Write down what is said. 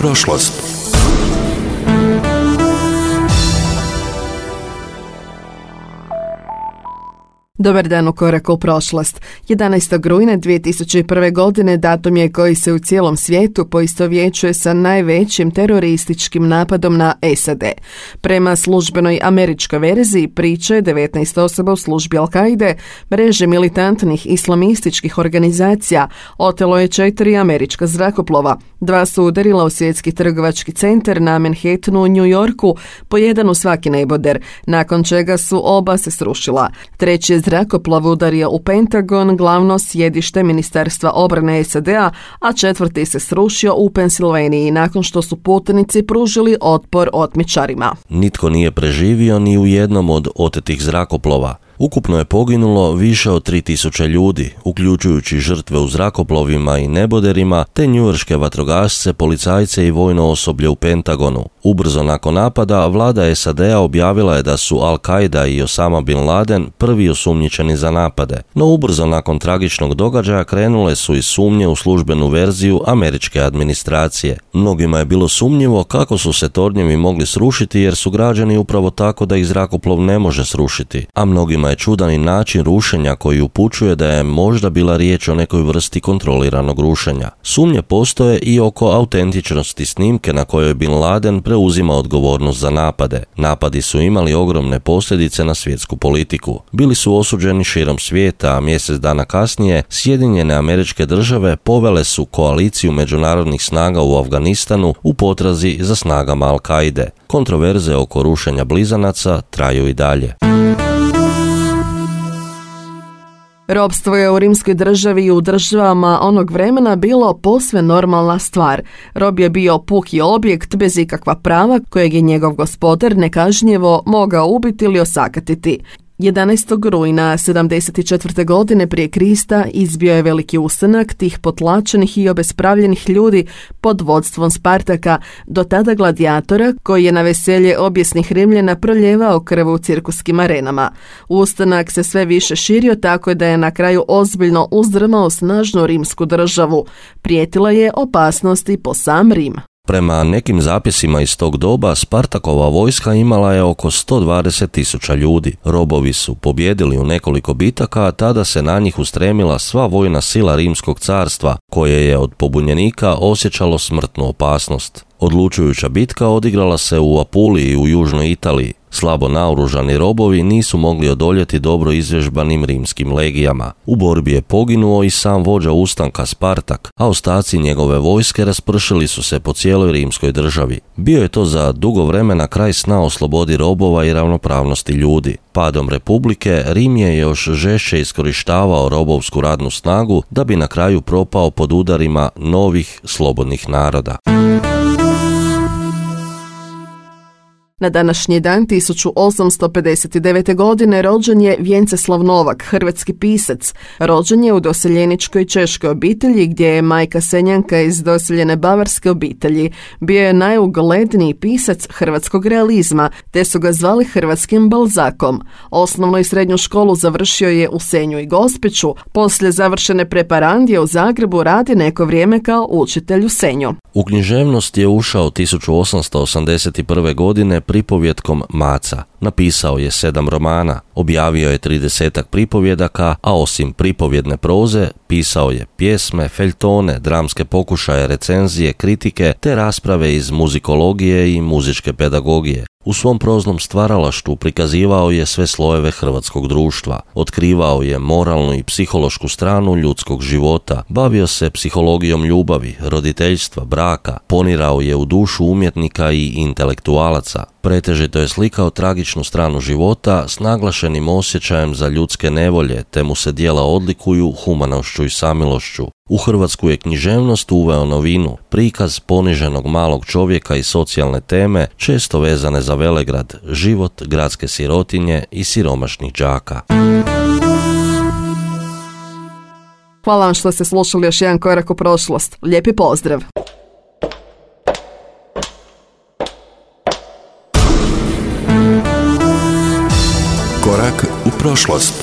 prošlost. Dobar dan u koraku u prošlost. 11. rujna 2001. godine datum je koji se u cijelom svijetu poistovjećuje sa najvećim terorističkim napadom na SAD. Prema službenoj američkoj verziji priče 19 osoba u službi Al-Kaide, mreže militantnih islamističkih organizacija, otelo je 4 američka zrakoplova. 2 su udarila u svjetski trgovački centar na Manhattanu u New Yorku, po jedan u svaki neboder, nakon čega su oba se srušila. Treći je zrakoplov udario u Pentagon, glavno sjedište Ministarstva obrane SAD-a, a četvrti se srušio u Pensilvaniji nakon što su putnici pružili otpor otmičarima. Nitko nije preživio ni u jednom od otetih zrakoplova. Ukupno je poginulo više od 3000 ljudi, uključujući žrtve u zrakoplovima i neboderima, te njujorške vatrogasce, policajce i vojno osoblje u Pentagonu. Ubrzo nakon napada, vlada SAD-a objavila je da su Al-Qaida i Osama Bin Laden prvi osumnjičeni za napade. No ubrzo nakon tragičnog događaja krenule su i sumnje u službenu verziju američke administracije. Mnogima je bilo sumnjivo kako su se tornjevi mogli srušiti jer su građani upravo tako da ih zrakoplov ne može srušiti, a mnogima je čudan i način rušenja koji upućuje da je možda bila riječ o nekoj vrsti kontroliranog rušenja. Sumnje postoje i oko autentičnosti snimke na kojoj Bin Laden preuzima odgovornost za napade. Napadi su imali ogromne posljedice na svjetsku politiku. Bili su osuđeni širom svijeta, a mjesec dana kasnije Sjedinjene Američke Države povele su koaliciju međunarodnih snaga u Afganistanu u potrazi za snagama Al-Kaide. Kontroverze oko rušenja blizanaca traju i dalje. Ropstvo je u rimskoj državi i u državama onog vremena bilo posve normalna stvar. Rob je bio puki objekt bez ikakva prava kojeg je njegov gospodar nekažnjivo mogao ubiti ili osakatiti. 11. rujna 74. godine prije Krista izbio je veliki ustanak tih potlačenih i obespravljenih ljudi pod vodstvom Spartaka, do tada gladijatora koji je na veselje objesnih Rimljana proljevao krv u cirkuskim arenama. Ustanak se sve više širio tako da je na kraju ozbiljno uzdrmao snažnu rimsku državu. Prijetila je opasnost i po sam Rim. Prema nekim zapisima iz tog doba, Spartakova vojska imala je oko 120.000 ljudi. Robovi su pobjedili u nekoliko bitaka, a tada se na njih ustremila sva vojna sila Rimskog carstva, koje je od pobunjenika osjećalo smrtnu opasnost. Odlučujuća bitka odigrala se u Apuliji u južnoj Italiji. Slabo naoružani robovi nisu mogli odoljeti dobro izvježbanim rimskim legijama. U borbi je poginuo i sam vođa ustanka Spartak, a ostaci njegove vojske raspršili su se po cijeloj rimskoj državi. Bio je to za dugo vremena kraj sna o slobodi robova i ravnopravnosti ljudi. Padom Republike, Rim je još žešće iskorištavao robovsku radnu snagu da bi na kraju propao pod udarima novih slobodnih naroda. Na današnji dan 1859. godine rođen je Vjenceslav Novak, hrvatski pisac. Rođen je u doseljeničkoj češkoj obitelji gdje je majka Senjanka iz doseljene bavarske obitelji. Bio je najugledniji pisac hrvatskog realizma, te su ga zvali hrvatskim Balzakom. Osnovnu i srednju školu završio je u Senju i Gospiću. Poslije završene preparandije u Zagrebu radi neko vrijeme kao učitelj u Senju. U književnost je ušao 1881. godine pripovjetkom Maca. Napisao je 7 romana, objavio je 30 pripovjedaka, a osim pripovjedne proze, pisao je pjesme, feljtone, dramske pokušaje, recenzije, kritike te rasprave iz muzikologije i muzičke pedagogije. U svom proznom stvaralaštvu prikazivao je sve slojeve hrvatskog društva, otkrivao je moralnu i psihološku stranu ljudskog života, bavio se psihologijom ljubavi, roditeljstva, braka, ponirao je u dušu umjetnika i intelektualaca. Pretežito je slikao tragičnu stranu života s naglašenim osjećajem za ljudske nevolje, te mu se djela odlikuju humanošću i samilošću. U hrvatsku je književnost uveo novinu, prikaz poniženog malog čovjeka i socijalne teme, često vezane za velegrad, život gradske sirotinje i siromašnih đaka. Hvala vam što ste slušali još jedan korak u prošlost. Lijepi pozdrav! Korak u prošlost.